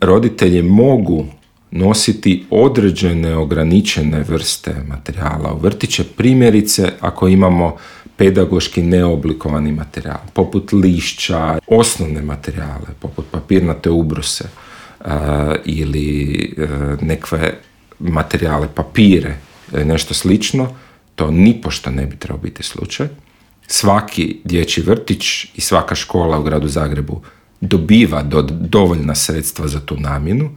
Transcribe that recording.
roditelji mogu nositi određene ograničene vrste materijala u vrtiće, primjerice ako imamo pedagoški neoblikovani materijal, poput lišća, osnovne materijale, poput papirnate ubruse ili nekakve materijale, papire, nešto slično, to nipošto ne bi trebao biti slučaj. Svaki dječji vrtić i svaka škola u gradu Zagrebu dobiva dovoljna sredstva za tu namjenu.